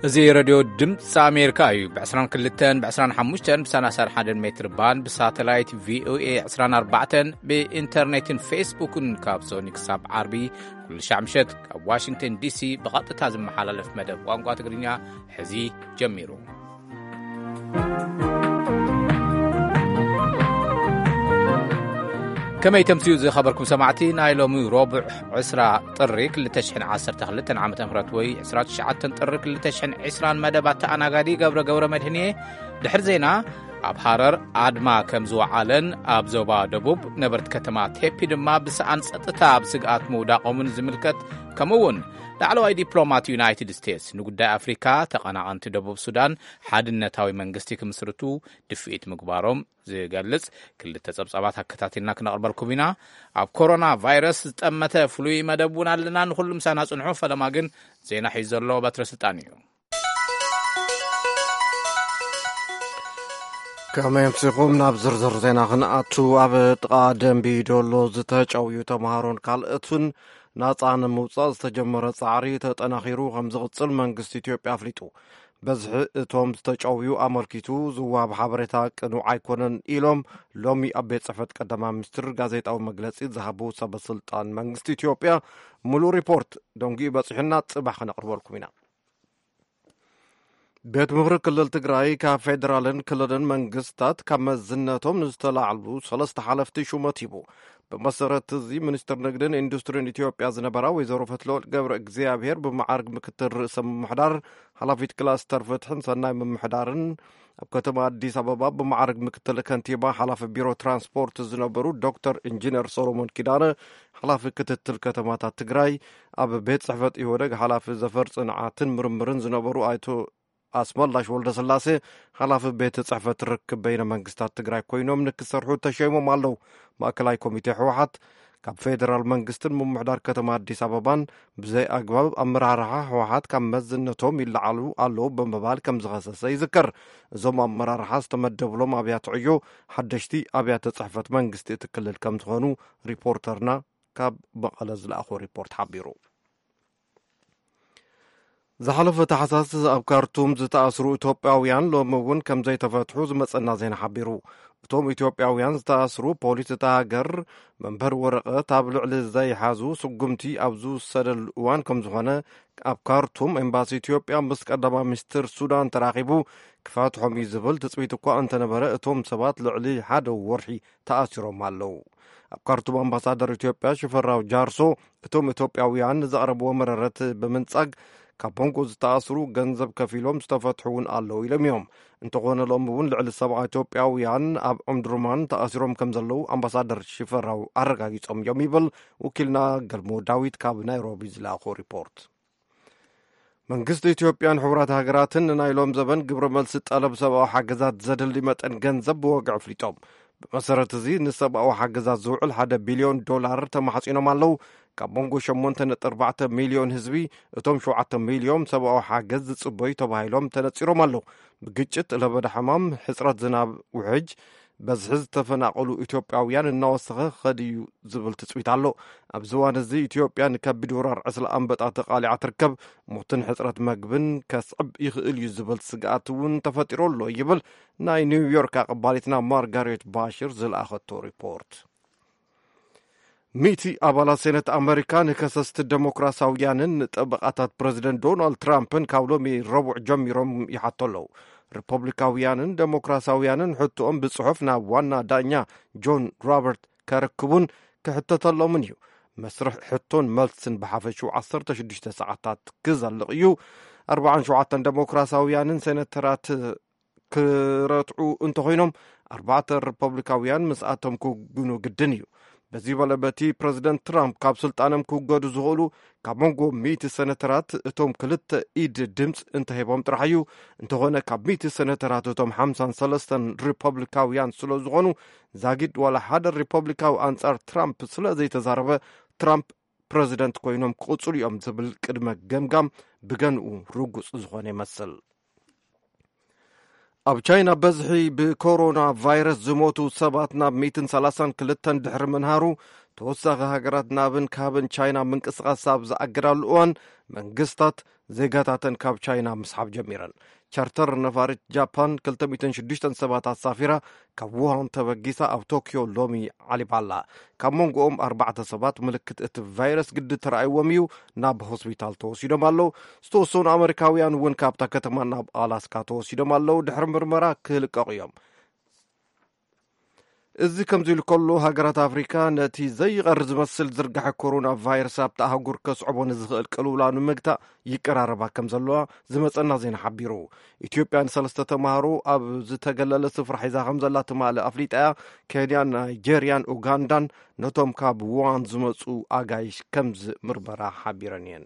እዚ ሬድዮ ድምፂ ኣሜሪካ እዩ። ብ22፣ ብ25፣ ብ31 ሜትር ባንድ፣ ብሳተላይት ቪኦኤ 24፣ ብኢንተርኔትን ፌስቡክን ካብ ሶኒ ክሳብ ዓርቢ ኩሉ ሻዕ ምሸት ካብ ዋሽንግተን ዲሲ ብቐጥታ ዝመሓላለፍ መደብ ቋንቋ ትግርኛ ሕዚ ጀሚሩ። ከመይ ተምስዩ ዝኸበርኩም ሰማዕቲ፣ ናይ ሎሚ ረቡዕ ዕስራ ጥሪ ክልተ ሽሕን ዓሰርተ ክልተን ዓመተ ምህረት ወይ ዕስራ ትሽዓተ ጥሪ ክልተ ሽሕን ዕስራን መደብ ኣተኣናጋዲ ገብረ ገብረ መድህን እየ። ድሕሪ ዜና ኣብ ሃረር ኣድማ ከም ዝወዓለን ኣብ ዞባ ደቡብ ነበርቲ ከተማ ቴፒ ድማ ብሰኣን ጸጥታ ኣብ ስግኣት ምውዳቖምን ዝምልከት፣ ከምኡ እውን ላዕለዋይ ዲፕሎማት ዩናይትድ ስቴትስ ንጉዳይ ኣፍሪካ ተቐናቐንቲ ደቡብ ሱዳን ሓድነታዊ መንግስቲ ክምስርቱ ድፍኢት ምግባሮም ዝገልጽ ክልተ ጸብጻባት ኣከታቲልና ክነቕርበልኩም ኢና። ኣብ ኮሮና ቫይረስ ዝጠመተ ፍሉይ መደብ እውን ኣለና። ንኹሉ ምሳና ጽንሑ። ፈለማ ግን ዜና ሒዙ ዘሎ በትረ ስልጣን እዩ። ከመይ ኣምሲኹም? ናብ ዝርዝር ዜና ክንኣቱ፣ ኣብ ጥቓ ደንቢ ዶሎ ዝተጨውዩ ተምሃሮን ካልኦትን ናጻ ንምውጻእ ዝተጀመረ ጻዕሪ ተጠናኺሩ ከም ዝቕጽል መንግስቲ ኢትዮጵያ ኣፍሊጡ። በዝሒ እቶም ዝተጨውዩ ኣመልኪቱ ዝወሃብ ሓበሬታ ቅኑዕ ኣይኮነን ኢሎም ሎሚ ኣብ ቤት ጽሕፈት ቀዳማይ ሚኒስትር ጋዜጣዊ መግለጺ ዝሃቡ ሰበ ስልጣን መንግስቲ ኢትዮጵያ። ሙሉእ ሪፖርት ደንጊኡ በጺሑና፣ ጽባሕ ክነቕርበልኩም ኢና። ቤት ምኽሪ ክልል ትግራይ ካብ ፌደራልን ክልልን መንግስታት ካብ መዝነቶም ንዝተላዕሉ ሰለስተ ሓለፍቲ ሹመት ሂቡ። ብመሰረት እዚ፣ ሚኒስትር ንግድን ኢንዱስትሪን ኢትዮጵያ ዝነበራ ወይዘሮ ፈትለወርቅ ገብረ እግዚኣብሔር ብመዓርግ ምክትል ርእሰ ምምሕዳር፣ ሓላፊት ክላስተር ፍትሕን ሰናይ ምምሕዳርን፣ ኣብ ከተማ ኣዲስ ኣበባ ብመዓርግ ምክትል ከንቲባ፣ ሓላፊ ቢሮ ትራንስፖርት ዝነበሩ ዶክተር ኢንጂነር ሰሎሞን ኪዳነ፣ ሓላፊ ክትትል ከተማታት ትግራይ፣ ኣብ ቤት ጽሕፈት ኢህወደግ ሓላፊ ዘፈር ጽንዓትን ምርምርን ዝነበሩ ኣይቶ ኣስመላሽ ወልደስላሴ፣ ሓላፊ ቤት ጽሕፈት ርክብ በይነ መንግስታት ትግራይ ኮይኖም ንክሰርሑ ተሸይሞም ኣለዉ። ማእከላይ ኮሚቴ ህወሓት ካብ ፌደራል መንግስትን ምምሕዳር ከተማ ኣዲስ ኣበባን ብዘይ ኣግባብ ኣመራርሓ ህወሓት ካብ መዝነቶም ይለዓሉ ኣለዉ ብምባል ከም ዝኸሰሰ ይዝከር። እዞም ኣመራርሓ ዝተመደብሎም ኣብያተ ዕዮ ሓደሽቲ ኣብያተ ጽሕፈት መንግስቲ እቲ ክልል ከም ዝኾኑ ሪፖርተርና ካብ መቐለ ዝለኣኾ ሪፖርት ሓቢሩ። ዝሓለፈ ታሕሳስ ኣብ ካርቱም ዝተኣስሩ ኢትዮጵያውያን ሎሚ እውን ከም ዘይተፈትሑ ዝመጸና ዜና ሓቢሩ። እቶም ኢትዮጵያውያን ዝተኣስሩ፣ ፖሊስ እታ ሃገር መንበር ወረቐት ኣብ ልዕሊ ዘይሓዙ ስጉምቲ ኣብ ዝውሰደሉ እዋን ከም ዝኾነ፣ ኣብ ካርቱም ኤምባሲ ኢትዮጵያ ምስ ቀዳማይ ሚኒስትር ሱዳን ተራኺቡ ክፈትሖም እዩ ዝብል ትጽቢት እኳ እንተነበረ፣ እቶም ሰባት ልዕሊ ሓደ ወርሒ ተኣሲሮም ኣለዉ። ኣብ ካርቱም ኣምባሳደር ኢትዮጵያ ሽፈራው ጃርሶ፣ እቶም ኢትዮጵያውያን ንዘቕረብዎ መረረት ብምንጻግ፣ ካብ መንጎ ዝተኣስሩ ገንዘብ ከፊሎም ዝተፈትሑ እውን ኣለዉ ኢሎም እዮም። እንተኾነ፣ ሎሚ እውን ልዕሊ ሰብዓ ኢትዮጵያውያን ኣብ ኦምዱርማን ተኣሲሮም ከም ዘለዉ ኣምባሳደር ሽፈራው ኣረጋጊጾም እዮም ይብል ወኪልና ገልሞ ዳዊት ካብ ናይሮቢ ዝለኣኾ ሪፖርት። መንግስቲ ኢትዮጵያን ሕቡራት ሃገራትን ንናይ ሎም ዘበን ግብረ መልሲ ጠለብ ሰብኣዊ ሓገዛት ዘድሊ መጠን ገንዘብ ብወግዒ ኣፍሊጦም። ብመሰረት እዚ፣ ንሰብኣዊ ሓገዛት ዝውዕል ሓደ ቢልዮን ዶላር ተማሕጺኖም ኣለዉ። ካብ መንጎ ሸሞንተ ነጥቢ ኣርባዕተ ሚልዮን ህዝቢ፣ እቶም ሸውዓተ ሚልዮን ሰብኣዊ ሓገዝ ዝጽበዩ ተባሂሎም ተነጺሮም ኣለዉ። ብግጭት፣ ለበዳ ሕማም፣ ሕጽረት ዝናብ፣ ውሕጅ፣ በዝሒ ዝተፈናቐሉ ኢትዮጵያውያን እናወሰኸ ክኸድ እዩ ዝብል ትጽቢት ኣሎ። ኣብዚ እዋን እዚ፣ ኢትዮጵያ ንከቢድ ወራር ዕስለ ኣንበጣ ተቓሊዓ ትርከብ። ሞትን ሕጽረት መግብን ከስዕብ ይኽእል እዩ ዝብል ስግኣት እውን ተፈጢሩ ኣሎ ይብል ናይ ኒውዮርክ ኣቐባሊትና ማርጋሬት ባሽር ዝለኣኸቶ ሪፖርት። ሚእቲ ኣባላት ሴነት ኣመሪካ ንከሰስቲ ደሞክራሲያውያንን ንጠበቓታት ፕረዚደንት ዶናልድ ትራምፕን ካብ ሎሚ ረቡዕ ጀሚሮም ይሓቶ ኣለዉ። ሪፐብሊካውያንን ደሞክራሲያውያንን ሕቶኦም ብጽሑፍ ናብ ዋና ዳኛ ጆን ሮበርት ከርክቡን ክሕተተሎምን እዩ። መስርሕ ሕቶን መልስን ብሓፈሽኡ ዓሰርተ ሽዱሽተ ሰዓታት ክዘልቕ እዩ። ኣርባዓን ሸውዓተን ደሞክራሲያውያንን ሴነተራት ክረትዑ እንተኾይኖም፣ ኣርባዕተ ሪፐብሊካውያን ምስኣቶም ክውግኑ ግድን እዩ። በዚ በለ በቲ ፕረዚደንት ትራምፕ ካብ ስልጣኖም ክውገዱ ዝኽእሉ ካብ መንጎ ሚእቲ ሴነተራት እቶም ክልተ ኢድ ድምፅ እንተሂቦም ጥራሕ እዩ። እንተኾነ ካብ ሚእቲ ሴነተራት እቶም ሓምሳን ሰለስተን ሪፐብሊካውያን ስለ ዝኾኑ፣ ዛጊድ ዋላ ሓደ ሪፐብሊካዊ ኣንጻር ትራምፕ ስለ ዘይተዛረበ፣ ትራምፕ ፕረዚደንት ኮይኖም ክቕጽሉ እዮም ዝብል ቅድመ ገምጋም ብገንኡ ርጉጽ ዝኾነ ይመስል። ኣብ ቻይና በዝሒ ብኮሮና ቫይረስ ዝሞቱ ሰባት ናብ ሚእትን ሰላሳን ክልተን ድሕሪ ምንሃሩ፣ ተወሳኺ ሃገራት ናብን ካብን ቻይና ምንቅስቓስ ኣብ ዝኣገዳሉ እዋን፣ መንግስታት ዜጋታተን ካብ ቻይና ምስሓብ ጀሚረን። ቻርተር ነፋሪት ጃፓን ክልተ ሚእትን ሽዱሽተን ሰባት ኣሳፊራ ካብ ውሃን ተበጊሳ ኣብ ቶክዮ ሎሚ ዓሊባ ኣላ። ካብ መንጎኦም ኣርባዕተ ሰባት ምልክት እቲ ቫይረስ ግዲ ተራእይዎም እዩ ናብ ሆስፒታል ተወሲዶም ኣለዉ። ዝተወሰኑ ኣመሪካውያን እውን ካብታ ከተማ ናብ ኣላስካ ተወሲዶም ኣለዉ። ድሕሪ ምርመራ ክልቀቑ እዮም። እዚ ከምዚ ኢሉ ከሎ፣ ሃገራት ኣፍሪካ ነቲ ዘይቐሪ ዝመስል ዝርጋሐ ኮሮና ቫይረስ ኣብቲ ኣህጉር ከስዕቦ ንዝኽእል ቅልውላው ንምግታእ ይቀራረባ ከም ዘለዋ ዝመጸና ዜና ሓቢሩ። ኢትዮጵያ ንሰለስተ ተማሃሮ ኣብ ዝተገለለ ስፍራ ሒዛ ከም ዘላ ትማሊ ኣፍሊጣ እያ። ኬንያን ናይጄርያን ኡጋንዳን ነቶም ካብ ውሃን ዝመጹ ኣጋይሽ ከምዚ ምርመራ ሓቢረን እየን።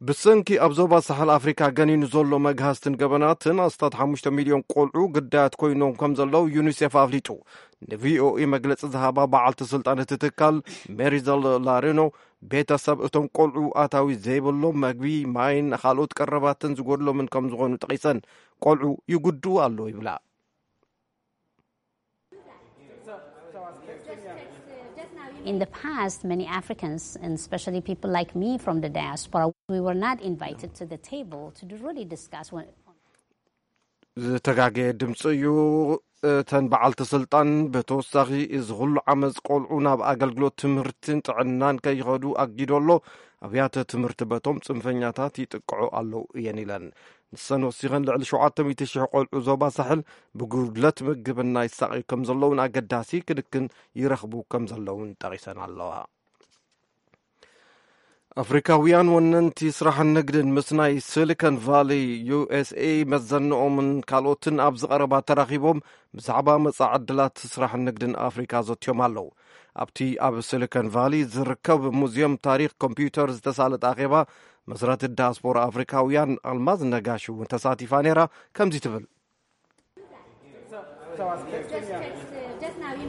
ብሰንኪ ኣብ ዞባ ሳሕል ኣፍሪካ ገኒኑ ዘሎ መግሃስትን ገበናትን ኣስታት ሓሙሽተ ሚልዮን ቆልዑ ግዳያት ኮይኖም ከም ዘለዉ ዩኒሴፍ ኣፍሊጡ። ንቪኦኤ መግለጺ ዝሃባ በዓልቲ ስልጣን እቲ ትካል ሜሪዘል ላሬኖ፣ ቤተሰብ እቶም ቆልዑ ኣታዊ ዘይብሎም፣ መግቢ፣ ማይን ካልኦት ቀረባትን ዝጎድሎምን ከም ዝኾኑ ጠቒሰን፣ ቆልዑ ይጉድኡ ኣለዉ ይብላ። In the past, many Africans, and especially people like me from the diaspora, we were not invited to the table to really discuss what ዝተጋገየ ድምፂ እዩ። እተን በዓልቲ ስልጣን ብተወሳኺ እዚ ኩሉ ዓመፅ ቆልዑ ናብ ኣገልግሎት ትምህርትን ጥዕናን ከይኸዱ ኣጊዶ ኣሎ። ኣብያተ ትምህርቲ በቶም ፅንፈኛታት ይጥቅዑ ኣለዉ እየን ኢለን። ንሰን ወሲኸን ልዕሊ ሸውዓተ ሚእቲ ሽሕ ቆልዑ ዞባ ሳሕል ብጉድለት ምግብና ይሳቐዩ ከም ዘለውን ኣገዳሲ ክንክን ይረኽቡ ከም ዘለውን ጠቒሰን ኣለዋ። ኣፍሪካውያን ወነንቲ ስራሕን ንግድን ምስ ናይ ሲሊኮን ቫሊ ዩ ኤስ ኤ መዘንኦምን ካልኦትን ኣብዚ ቀረባ ተራኺቦም ብዛዕባ መጻኢ ዕድላት ስራሕን ንግድን ኣፍሪካ ዘትዮም ኣለዉ። ኣብቲ ኣብ ሲሊኮን ቫሊ ዝርከብ ሙዚየም ታሪክ ኮምፒውተር ዝተሳለጠ ኣኼባ መስራቲ ዳያስፖራ ኣፍሪካውያን ኣልማዝ ነጋሽ እውን ተሳቲፋ ነይራ። ከምዚ ትብል።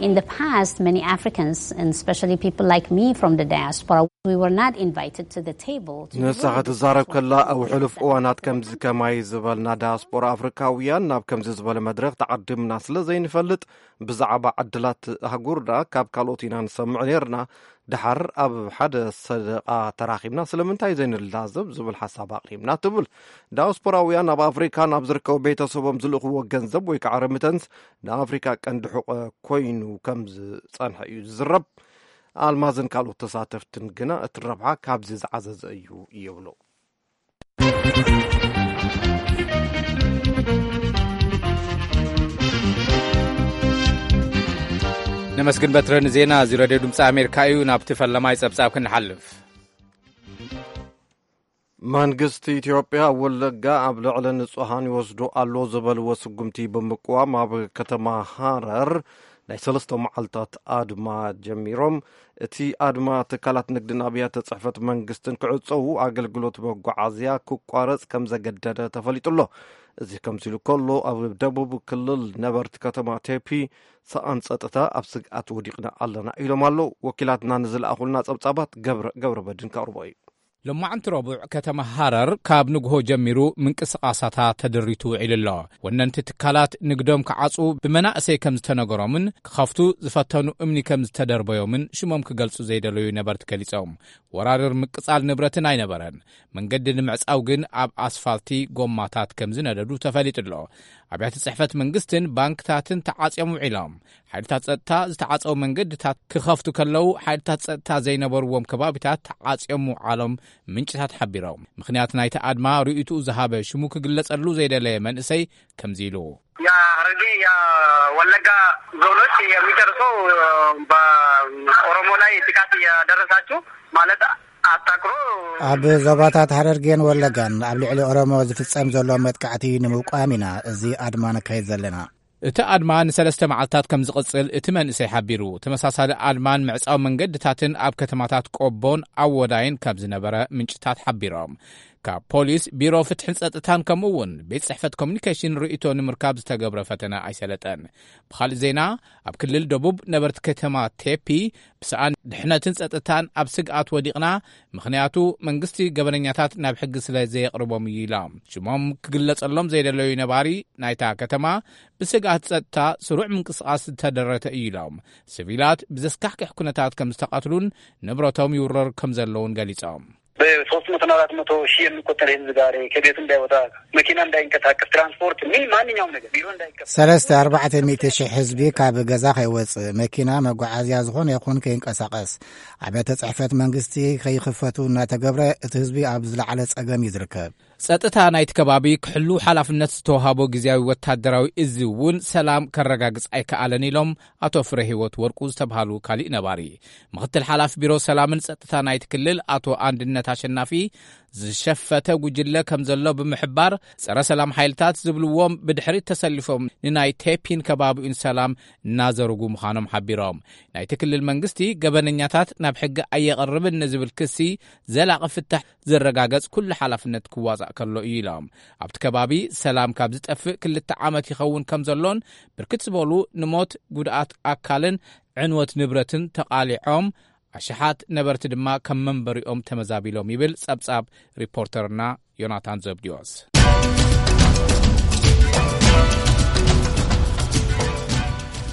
In the past, many Africans, and especially people like me from the diaspora, we were not invited to the table to ንሳ ክትዛረብ ከላ ኣብ ሕሉፍ እዋናት ከምዚ ከማይ ዝበልና ዳያስፖራ ኣፍሪካውያን ናብ ከምዚ ዝበለ መድረኽ ተዓዲምና ስለ ዘይንፈልጥ ብዛዕባ ዕድላት ኣህጉርና ካብ ካልኦት ኢና ንሰምዕ ነይርና። ደሓር ኣብ ሓደ ሰደቓ ተራኺብና ስለምንታይ ዘይንላዘብ ዝብል ሓሳብ ኣቕሪብና ትብል። ዳያስፖራውያን ኣብ ኣፍሪካ ናብ ዝርከቡ ቤተሰቦም ዝልእኽዎ ገንዘብ ወይ ከዓ ረሚተንስ ንኣፍሪካ ቀንዲ ሕቆ ኮይኑ ከም ዝፀንሐ እዩ ዝዝረብ። ኣልማዝን ካልኦት ተሳተፍትን ግና እቲ ረብሓ ካብዚ ዝዓዘዘ እዩ ይብሉ። ነመስግን በትረ ንዜና እዚ ሬድዮ ድምፂ ኣሜሪካ እዩ። ናብቲ ፈለማይ ፀብፃብ ክንሓልፍ። መንግስቲ ኢትዮጵያ ኣብ ወለጋ ኣብ ልዕሊ ንጹሃን ይወስዶ ኣሎ ዝበልዎ ስጉምቲ ብምቅዋም ኣብ ከተማ ሃረር ናይ ሰለስተ መዓልታት ኣድማ ጀሚሮም። እቲ ኣድማ ትካላት ንግድን ኣብያተ ጽሕፈት መንግስትን ክዕጸዉ፣ ኣገልግሎት መጓዓዝያ ክቋረጽ ከም ዘገደደ ተፈሊጡ ኣሎ። እዚ ከምዚ ኢሉ ከሎ፣ ኣብ ደቡብ ክልል ነበርቲ ከተማ ቴፒ ሰኣን ጸጥታ ኣብ ስግኣት ወዲቕና ኣለና ኢሎም ኣለዉ። ወኪላትና ንዝለኣኹልና ጸብጻባት ገብረ ገብረ በድን ከቕርቦ እዩ። ሎማዕንቲ ረቡዕ ከተማ ሃረር ካብ ንግሆ ጀሚሩ ምንቅስቓሳታ ተደሪቱ ውዒሉ ኣሎ። ወነንቲ ትካላት ንግዶም ክዓጽዉ ብመናእሰይ ከም ዝተነገሮምን ክኸፍቱ ዝፈተኑ እምኒ ከም ዝተደርበዮምን ሽሞም ክገልጹ ዘይደለዩ ነበርቲ ገሊጾም። ወራርር ምቅጻል ንብረትን ኣይነበረን። መንገዲ ንምዕጻው ግን ኣብ ኣስፋልቲ ጎማታት ከም ዝነደዱ ተፈሊጡ ኣሎ። ኣብያተ ጽሕፈት መንግስትን ባንክታትን ተዓጽዮም ውዒሎም። ሓይልታት ጸጥታ ዝተዓጸው መንገድታት ክኸፍቱ ከለዉ፣ ሓይልታት ጸጥታ ዘይነበርዎም ከባቢታት ተዓጽዮም ምውዓሎም ምንጭታት ሓቢሮም። ምኽንያት ናይቲ ኣድማ ርእይትኡ ዝሃበ ሽሙ ክግለጸሉ ዘይደለየ መንእሰይ ከምዚ ኢሉ። የሐረርጌ የወለጋ ዞኖች የሚደርሰው በኦሮሞ ላይ ጥቃት እያደረሳችሁ ማለት አታክሮ ኣብ ዞባታት ሐረርጌን ወለጋን ኣብ ልዕሊ ኦሮሞ ዝፍጸም ዘሎ መጥቃዕቲ ንምውቃም ኢና እዚ ኣድማ ነካይድ ዘለና። እቲ ኣድማ ንሰለስተ መዓልታት ከም ዝቕጽል እቲ መንእሰይ ሓቢሩ። ተመሳሳሊ ኣድማን ምዕጻው መንገድታትን ኣብ ከተማታት ቆቦን ኣወዳይን ከም ዝነበረ ምንጭታት ሓቢሮም። ካብ ፖሊስ፣ ቢሮ ፍትሕን ጸጥታን ከምኡ እውን ቤት ጽሕፈት ኮሚኒኬሽን ርእይቶ ንምርካብ ዝተገብረ ፈተነ ኣይሰለጠን። ብኻልእ ዜና፣ ኣብ ክልል ደቡብ ነበርቲ ከተማ ቴፒ ብሰኣን ድሕነትን ጸጥታን ኣብ ስግኣት ወዲቕና፣ ምኽንያቱ መንግስቲ ገበነኛታት ናብ ሕጊ ስለ ዘየቕርቦም እዩ ኢሎም። ሽሞም ክግለጸሎም ዘይደለዩ ነባሪ ናይታ ከተማ ብስግኣት ጸጥታ ስሩዕ ምንቅስቓስ ዝተደረተ እዩ ኢሎም። ሲቪላት ብዘስካሕክሕ ኩነታት ከም ዝተቐትሉን ንብረቶም ይውረር ከም ዘለውን ገሊጾም። በሶስት መቶ እና አራት መቶ ሺህ የሚቆጠር ህዝብ ዛሬ ከቤቱ እንዳይወጣ፣ መኪና እንዳይንቀሳቀስ፣ ትራንስፖርት፣ ምን ማንኛውም ነገር፣ ቢሮ እንዳይከፈት። ሰለስተ ኣርባዕተ ሚእቲ ሺሕ ህዝቢ ካብ ገዛ ከይወጽእ፣ መኪና መጓዓዝያ ዝኾነ ይኹን ከይንቀሳቐስ፣ ኣብያተ ጽሕፈት መንግስቲ ከይኽፈቱ እናተገብረ፣ እቲ ህዝቢ ኣብ ዝለዓለ ጸገም እዩ ዝርከብ። ጸጥታ ናይቲ ከባቢ ክሕሉ ሓላፍነት ዝተዋሃቦ ግዝያዊ ወታደራዊ እዚ እውን ሰላም ከረጋግጽ ኣይከኣለን ኢሎም ኣቶ ፍረ ህይወት ወርቁ ዝተብሃሉ ካሊእ ነባሪ። ምኽትል ሓላፊ ቢሮ ሰላምን ጸጥታ ናይቲ ክልል ኣቶ ኣንድነት ኣሸናፊ፣ ዝሸፈተ ጉጅለ ከም ዘሎ ብምሕባር፣ ጸረ ሰላም ሓይልታት ዝብልዎም ብድሕሪት ተሰሊፎም ንናይ ቴፒን ከባቢኡን ሰላም እናዘርጉ ምዃኖም ሓቢሮም። ናይቲ ክልል መንግስቲ ገበነኛታት ናብ ሕጊ ኣየቐርብን ንዝብል ክሲ ዘላቒ ፍታሕ ዝረጋገጽ ኩሉ ሓላፍነት ክዋጻእ ከሎ እዩ ኢሎም። ኣብቲ ከባቢ ሰላም ካብ ዝጠፍእ ክልተ ዓመት ይኸውን ከም ዘሎን፣ ብርክት ዝበሉ ንሞት፣ ጉድኣት ኣካልን ዕንወት ንብረትን ተቓሊዖም፣ ኣሽሓት ነበርቲ ድማ ከም መንበሪኦም ተመዛቢሎም ይብል ጸብጻብ ሪፖርተርና ዮናታን ዘብዲዎስ።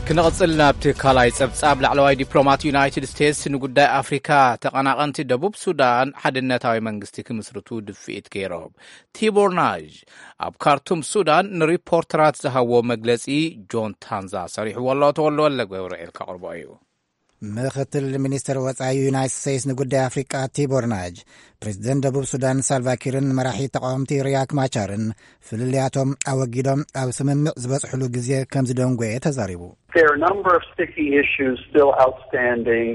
ክንቕጽል ናብቲ ካልኣይ ጸብጻብ፣ ላዕለዋይ ዲፕሎማት ዩናይትድ ስቴትስ ንጉዳይ ኣፍሪካ፣ ተቐናቐንቲ ደቡብ ሱዳን ሓድነታዊ መንግስቲ ክምስርቱ ድፍኢት ገይሮም። ቲቦር ናዥ ኣብ ካርቱም ሱዳን ንሪፖርተራት ዝሃብዎ መግለጺ ጆን ታንዛ ሰሪሕዎ ኣሎ። ተወልደ ወልደ ገብርኤል ከቕርቦ እዩ። ምኽትል ሚኒስትር ወጻኢ ዩናይትድ ስቴትስ ንጉዳይ ኣፍሪቃ ቲቦር ናጅ፣ ፕሬዚደንት ደቡብ ሱዳን ሳልቫኪርን መራሒ ተቃወምቲ ሪያክ ማቻርን ፍልልያቶም ኣወጊዶም ኣብ ስምምዕ ዝበጽሕሉ ግዜ ከም ዝደንጎየ ተዛሪቡ። There are a number of sticky issues still outstanding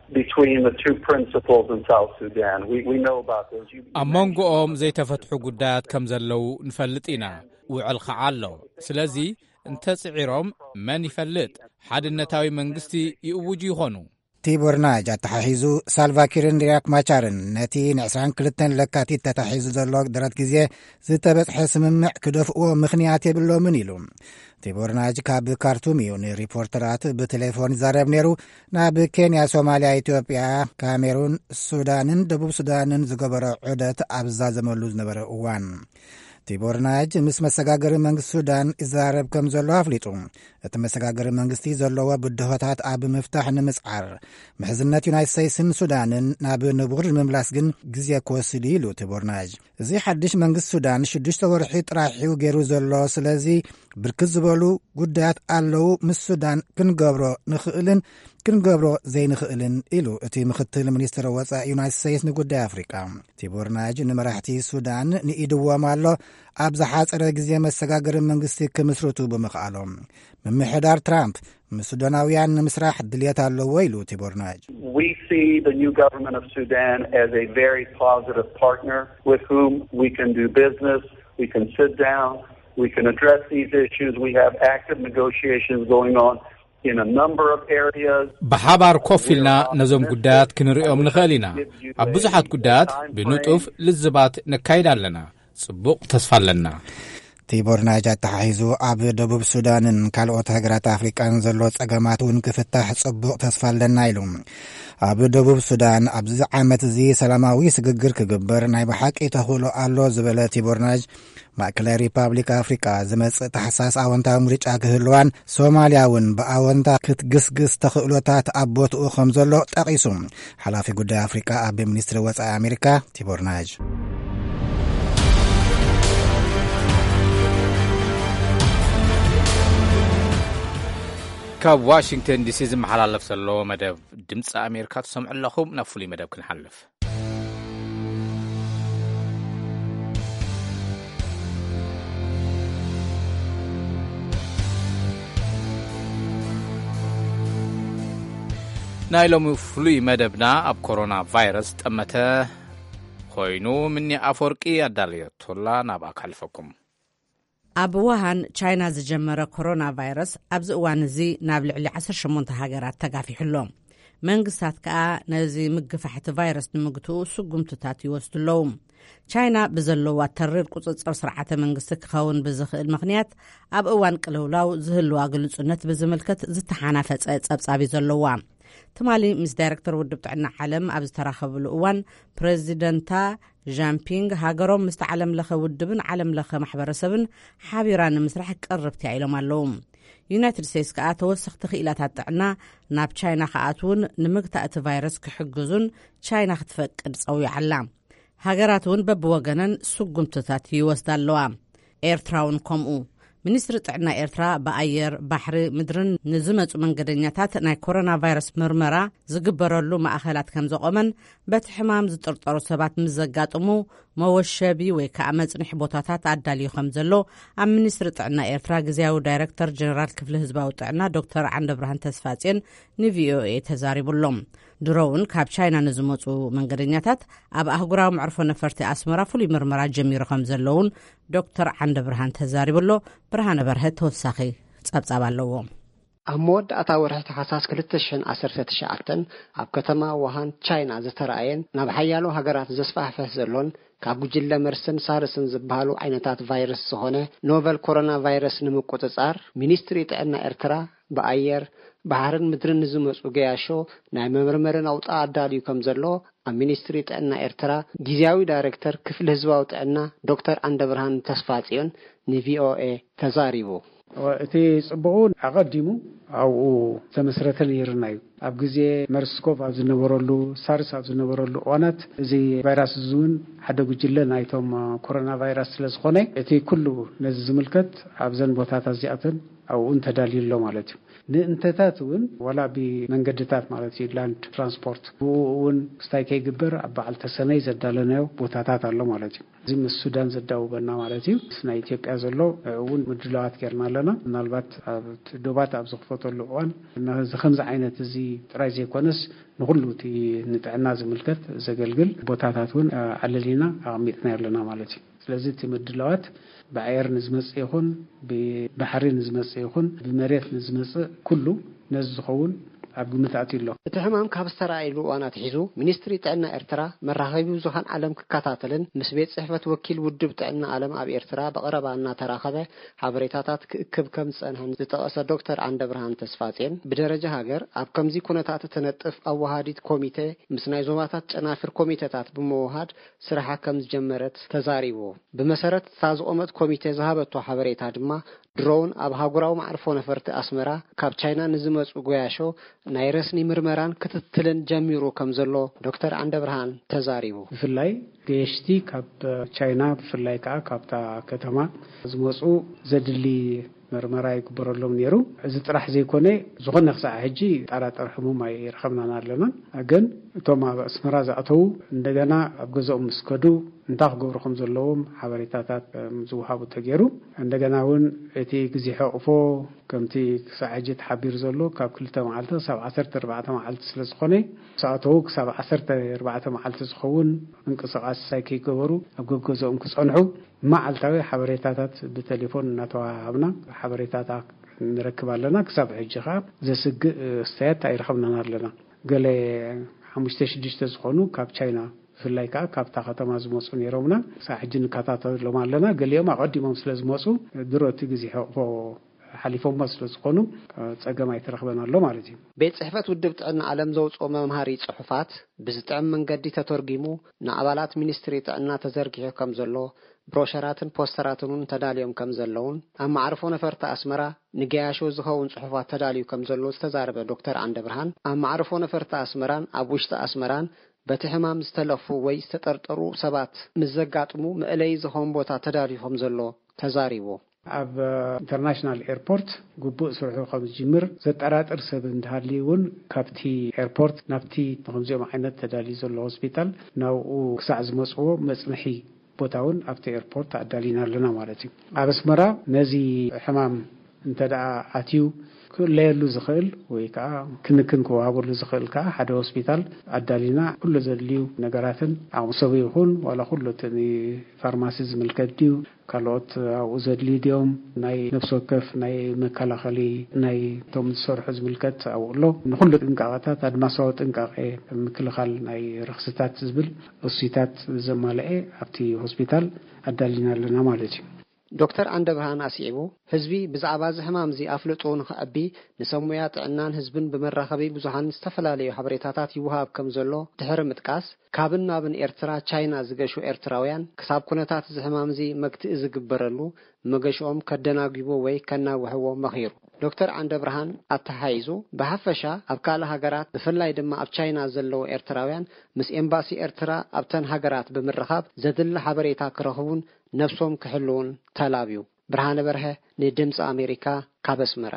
between the two principals in South Sudan. We, we know about those. You, you ኣብ መንጎኦም ዘይተፈትሑ ጉዳያት ከም ዘለዉ ንፈልጥ ኢና። ውዕል ኸዓ ኣሎ። ስለዚ እንተጽዒሮም መን ይፈልጥ፣ ሓድነታዊ መንግስቲ ይእውጁ ይኾኑ። ቲቦር ናጅ ኣተሓሒዙ፣ ሳልቫኪርን ሪያክ ማቻርን ነቲ ን ዕስራን ክልተን ለካቲት ተታሒዙ ዘሎ ደረት ግዜ ዝተበጽሐ ስምምዕ ክደፍእዎ ምኽንያት የብሎምን ኢሉ። ቲቦር ናጅ ካብ ካርቱም እዩ ንሪፖርተራት ብቴሌፎን ይዛረብ ነይሩ። ናብ ኬንያ፣ ሶማልያ፣ ኢትዮጵያ፣ ካሜሩን፣ ሱዳንን ደቡብ ሱዳንን ዝገበሮ ዑደት ኣብ ዝዛዘመሉ ዝነበረ እዋን፣ ቲቦር ናጅ ምስ መሰጋገሪ መንግስቲ ሱዳን ይዛረብ ከም ዘሎ ኣፍሊጡ። እቲ መሰጋገሪ መንግስቲ ዘለዎ ብድሆታት ኣብ ምፍታሕ ንምጽዓር፣ ምሕዝነት ዩናይትድ ስቴትስን ሱዳንን ናብ ንቡር ንምምላስ ግን ግዜ ክወስድ እዩ ኢሉ ቲቦር ናጅ። እዚ ሓድሽ መንግስቲ ሱዳን ሽዱሽተ ወርሒ ጥራሕ እዩ ገይሩ ዘሎ። ስለዚ ብርክት ዝበሉ ጉዳያት ኣለዉ፣ ምስ ሱዳን ክንገብሮ ንኽእልን ክንገብሮ ዘይንኽእልን ኢሉ እቲ ምኽትል ሚኒስትር ወጻኢ ዩናይትድ ስቴትስ ንጉዳይ ኣፍሪቃ። ቲቦር ናጅ ንመራሕቲ ሱዳን ንኢድዎም ኣሎ፣ ኣብ ዝሓጸረ ግዜ መሰጋገሪ መንግስቲ ክምስርቱ ብምኽኣሎም። ምምሕዳር ትራምፕ ምስ ሱዳናውያን ንምስራሕ ድልየት ኣለዎ ኢሉ ቲቦር ናጅ። We see the new government of Sudan as a very positive partner with whom we can do business, we can sit down, we can address these issues. We have active negotiations going on in a number of areas. ብሓባር ኮፍ ኢልና ነዞም ጉዳያት ክንርእዮም ንኽእል ኢና። ኣብ ብዙሓት ጉዳያት ብንጡፍ ልዝባት ነካይድ ኣለና። ጽቡቕ ተስፋ ኣለና። ቲቦር ናጅ ኣተሓሒዙ፣ ኣብ ደቡብ ሱዳንን ካልኦት ሃገራት ኣፍሪቃን ዘሎ ጸገማት እውን ክፍታሕ ጽቡቕ ተስፋ ኣለና ኢሉ። ኣብ ደቡብ ሱዳን ኣብዚ ዓመት እዚ ሰላማዊ ስግግር ክግበር ናይ ብሓቂ ተኽእሎ ኣሎ ዝበለ ቲቦር ናጅ፣ ማእከላይ ሪፓብሊክ ኣፍሪቃ ዝመጽእ ታሕሳስ ኣወንታዊ ምርጫ ክህልዋን ሶማልያ እውን ብኣወንታ ክትግስግስ ተኽእሎታት ኣብ ቦትኡ ከም ዘሎ ጠቒሱ። ሓላፊ ጉዳይ ኣፍሪቃ ኣብ ሚኒስትሪ ወጻኢ ኣሜሪካ ቲቦር ናጅ። ካብ ዋሽንግተን ዲሲ ዝመሓላለፍ ዘሎ መደብ ድምፂ ኣሜሪካ ትሰምዑ ኣለኹም። ናብ ፍሉይ መደብ ክንሓልፍ። ናይ ሎሚ ፍሉይ መደብና ኣብ ኮሮና ቫይረስ ጠመተ ኮይኑ፣ ምኒ ኣፈወርቂ ኣዳለየቶላ ናብኣ ከሕልፈኩም። ኣብ ውሃን ቻይና ዝጀመረ ኮሮና ቫይረስ ኣብዚ እዋን እዚ ናብ ልዕሊ ዓሰርተ ሸሞንተ ሃገራት ተጋፊሑ ኣሎ። መንግስታት ከኣ ነዚ ምግፋሕ እቲ ቫይረስ ንምግትኡ ስጉምትታት ይወስዱ ኣለዉ። ቻይና ብዘለዋ ተሪር ቁጽጽር ስርዓተ መንግስቲ ክኸውን ብዝኽእል ምኽንያት፣ ኣብ እዋን ቅልውላው ዝህልዋ ግልጹነት ብዝምልከት ዝተሓናፈጸ ጸብጻብ እዩ ዘለዋ። ትማሊ ምስ ዳይረክተር ውድብ ጥዕና ዓለም ኣብ ዝተራኸብሉ እዋን፣ ፕረዚደንታ ዣምፒንግ፣ ሃገሮም ምስቲ ዓለም ለኸ ውድብን ዓለም ለኸ ማሕበረሰብን ሓቢራ ንምስራሕ ቅርብቲ ኢሎም ኣለዉ። ዩናይትድ ስቴትስ ከኣ ተወሰኽቲ ክኢላታት ጥዕና ናብ ቻይና ክኣትዉን ንምግታእ እቲ ቫይረስ ክሕግዙን ቻይና ክትፈቅድ ጸዊዓ ኣላ። ሃገራት እውን በብወገነን ስጉምትታት ይወስዳ ኣለዋ። ኤርትራ እውን ከምኡ። ሚኒስትሪ ጥዕና ኤርትራ ብኣየር፣ ባሕሪ፣ ምድርን ንዝመጹ መንገደኛታት ናይ ኮሮና ቫይረስ ምርመራ ዝግበረሉ ማእኸላት ከም ዘቖመን፣ በቲ ሕማም ዝጥርጠሩ ሰባት ምስ ዘጋጥሙ መወሸቢ ወይ ከዓ መጽንሒ ቦታታት ኣዳልዩ ከም ዘሎ ኣብ ሚኒስትሪ ጥዕና ኤርትራ ግዝያዊ ዳይረክተር ጀነራል ክፍሊ ህዝባዊ ጥዕና ዶክተር ዓንደብርሃን ተስፋጽዮን ንቪኦኤ ተዛሪቡ ኣሎ። ድሮ እውን ካብ ቻይና ንዝመጹ መንገደኛታት ኣብ ኣህጉራዊ መዕርፎ ነፈርቲ ኣስመራ ፍሉይ ምርመራ ጀሚሩ ከም ዘለውን ዶክተር ዓንደብርሃን ተዛሪቡ ኣሎ። ብርሃነ በርሀ ተወሳኺ ጸብጻብ ኣለዎ። ኣብ መወዳእታ ወርሒ ታሕሳስ ክልተ ሽሕን ዓሰርተ ትሽዓተን ኣብ ከተማ ውሃን ቻይና ዝተራእየን ናብ ሓያሎ ሃገራት ዘስፋሕፍሕ ዘሎን ካብ ጉጅለ መርስን ሳርስን ዝበሃሉ ዓይነታት ቫይረስ ዝኾነ ኖቨል ኮሮና ቫይረስ ንምቁጽጻር ሚኒስትሪ ጥዕና ኤርትራ ብኣየር፣ ባሕርን ምድርን ንዝመጹ ገያሾ ናይ መመርመሪ ናውጣ ኣዳልዩ ከም ዘሎ ኣብ ሚኒስትሪ ጥዕና ኤርትራ ግዝያዊ ዳይሬክተር ክፍሊ ህዝባዊ ጥዕና ዶክተር ዓንደብርሃን ተስፋጽዮን ንቪኦኤ ተዛሪቡ። እቲ ጽቡቑ ኣቐዲሙ ኣብኡ ዝተመስረተ ነይርና እዩ። ኣብ ግዜ መርስኮቭ ኣብ ዝነበረሉ፣ ሳርስ ኣብ ዝነበረሉ እዋናት እዚ ቫይራስ እዚ እውን ሓደ ጉጅለ ናይቶም ኮሮና ቫይራስ ስለ ዝኾነ፣ እቲ ኩሉ ነዚ ዝምልከት ኣብዘን ቦታታት እዚኣተን ኣብኡ እውን ተዳልዩ ኣሎ ማለት እዩ። ንእንተታት እውን ዋላ ብመንገድታት ማለት እዩ፣ ላንድ ትራንስፖርት፣ ብኡ እውን ክስታይ ከይግበር ኣብ በዓል ተሰነይ ዘዳለናዮ ቦታታት ኣሎ ማለት እዩ። እዚ ምስ ሱዳን ዘዳውበና ማለት እዩ። ምስ ናይ ኢትዮጵያ ዘሎ እውን ምድላዋት ጌርና ኣለና። ምናልባት ኣብ ዶባት ኣብ ዝኽፈተሉ እዋን ነዚ ከምዚ ዓይነት እዚ ጥራይ ዘይኮነስ ንኹሉ እቲ ንጥዕና ዝምልከት ዘገልግል ቦታታት እውን ኣለሊና ኣቐሚጥና ኣለና ማለት እዩ። ስለዚ እቲ ምድላዋት ብኣየር ንዝመጽእ ይኹን ብባሕሪ ንዝመጽእ ይኹን ብመሬት ንዝመጽእ ኩሉ ነዚ ዝኸውን ኣብ ግምት ኣትዩ ኣሎ። እቲ ሕማም ካብ ዝተራእየሉ እዋን ኣትሒዙ ሚኒስትሪ ጥዕና ኤርትራ መራኸቢ ብዙሃን ዓለም ክከታተልን ምስ ቤት ጽሕፈት ወኪል ውድብ ጥዕና ዓለም ኣብ ኤርትራ ብቐረባ እናተራኸበ ሓበሬታታት ክእክብ ከም ዝጸንሐን ዝጠቐሰ ዶክተር ዓንደብርሃን ተስፋጼን፣ ብደረጃ ሃገር ኣብ ከምዚ ኩነታት እትነጥፍ ኣወሃዲት ኮሚቴ ምስ ናይ ዞባታት ጨናፍር ኮሚቴታት ብምውሃድ ስራሓ ከም ዝጀመረት ተዛሪቡ። ብመሰረት እታ ዝቖመት ኮሚቴ ዝሃበቶ ሓበሬታ ድማ፣ ድሮን ኣብ ሃገራዊ መዓርፎ ነፈርቲ ኣስመራ ካብ ቻይና ንዝመጹ ጎያሾ ናይ ረስኒ ምርመራን ክትትልን ጀሚሩ ከም ዘሎ ዶክተር ዓንደብርሃን ተዛሪቡ። ብፍላይ ገየሽቲ ካብ ቻይና፣ ብፍላይ ከዓ ካብታ ከተማ ዝመጹ ዘድሊ መርመራ ይግበረሎም ነይሩ። እዚ ጥራሕ ዘይኮነ፣ ዝኾነ ክሳዕ ሕጂ ጠራጠር ሕሙም ኣይረኸብናን ኣለና። ግን እቶም ኣብ ኣስመራ ዝኣተዉ እንደገና ኣብ ገዛኦም ምስ ከዱ እንታይ ክገብሩ ከም ዘለዎም ሓበሬታታት፣ እም፣ ዝወሃቡ ተገይሩ። እንደገና እውን እቲ ግዜ ሕቕፎ ከምቲ ክሳዕ ሕጂ ተሓቢሩ ዘሎ ካብ ክልተ መዓልቲ ክሳብ ዓሰርተ ኣርባዕተ መዓልቲ ስለ ዝኾነ፣ ምስ ኣተዉ ክሳብ ዓሰርተ ኣርባዕተ መዓልቲ ዝኸውን ምንቅስቓስ ሳይ ከይገበሩ ኣብ ገገዝኦም ክጸንሑ መዓልታዊ ሓበሬታታት ብቴሌፎን እናተወሃሃብና ሓበሬታታት ንረክብ ኣለና። ክሳብ ሕጂ ኸዓ ዘስግእ ክስተያት ኣይረኸብናን ኣለና። ገለ ሓሙሽተ ሽዱሽተ ዝኾኑ ካብ ቻይና ብፍላይ ከዓ ካብታ ከተማ ዝመፁ ነይሮምና። ክሳብ ሕጂ ንከታተሎም ኣለና። ገሊኦም ኣቐዲሞም ስለ ዝመፁ ድሮ እቲ ግዜ ሕቕፎ ሓሊፎሞ ስለ ዝኾኑ ፀገም ኣይተረኽበን ኣሎ ማለት እዩ። ቤት ጽሕፈት ውድብ ጥዕና ዓለም ዘውፅኦ መምሃሪ ጽሑፋት ብዝጥዕም መንገዲ ተተርጒሙ ንኣባላት ሚኒስትሪ ጥዕና ተዘርጊሑ ከም ዘሎ፣ ብሮሸራትን ፖስተራትን እውን ተዳልዮም ከም ዘለውን፣ ኣብ መዓርፎ ነፈርቲ ኣስመራ ንገያሾ ዝኸውን ጽሑፋት ተዳልዩ ከም ዘሎ ዝተዛረበ ዶክተር ዓንደብርሃን፣ ኣብ መዓርፎ ነፈርቲ ኣስመራን ኣብ ውሽጢ ኣስመራን በቲ ሕማም ዝተለኽፉ ወይ ዝተጠርጠሩ ሰባት ምስ ዘጋጥሙ መእለዪ ዝኸውን ቦታ ተዳልዩ ከም ዘሎ ተዛሪቡ። ኣብ ኢንተርናሽናል ኤርፖርት ግቡእ ስርሑ ከም ዝጅምር ዘጠራጥር ሰብ እንተሃልዩ እውን ካብቲ ኤርፖርት ናብቲ ንከምዚኦም ዓይነት ተዳልዩ ዘሎ ሆስፒታል ናብኡ ክሳዕ ዝመፅዎ መፅንሒ ቦታ እውን ኣብቲ ኤርፖርት ኣዳሊና ኣለና ማለት እዩ። ኣብ ኣስመራ ነዚ ሕማም እንተ ደኣ ኣትዩ ክእለየሉ ዝኽእል ወይ ከዓ ክንክን ክወሃበሉ ዝኽእል ከዓ ሓደ ሆስፒታል ኣዳሊና፣ ኩሉ ዘድልዩ ነገራትን ዓቕሚ ሰቡ ይኹን ዋላ ኩሉ እቲ ንፋርማሲ ዝምልከት ድዩ፣ ካልኦት ኣብኡ ዘድልዩ ድዮም፣ ናይ ነፍሲ ወከፍ ናይ መከላኸሊ ናይ እቶም ዝሰርሑ ዝምልከት ኣብኡ ኣሎ። ንኹሉ ጥንቃቐታት ኣድማሳዊ ጥንቃቐ ምክልኻል ናይ ረኽስታት ዝብል እሱይታት ዘማልአ ኣብቲ ሆስፒታል ኣዳሊና ኣለና ማለት እዩ። ዶክተር ዓንደብርሃን ኣስዒቡ፣ ህዝቢ ብዛዕባ እዚ ሕማም እዚ ኣፍልጥኡ ንኽዕቢ ንሰብ ሞያ ጥዕናን ህዝብን ብመራኸቢ ብዙሃን ዝተፈላለዩ ሓበሬታታት ይወሃብ ከም ዘሎ ድሕሪ ምጥቃስ፣ ካብን ናብን ኤርትራ ቻይና ዝገሹ ኤርትራውያን ክሳብ ኩነታት እዚ ሕማም እዚ መግትኢ ዝግበረሉ መገሽኦም ከደናጒቦ ወይ ከናውሕዎ መኺሩ። ዶክተር ዓንደብርሃን ኣተሓሒዙ፣ ብሓፈሻ ኣብ ካልእ ሃገራት ብፍላይ ድማ ኣብ ቻይና ዘለዉ ኤርትራውያን ምስ ኤምባሲ ኤርትራ ኣብተን ሃገራት ብምርኻብ ዘድሊ ሓበሬታ ክረኽቡን ነብሶም ክሕልዉን ተላብዩ። ብርሃነ በርሀ ንድምፂ ኣሜሪካ ካብ ኣስመራ።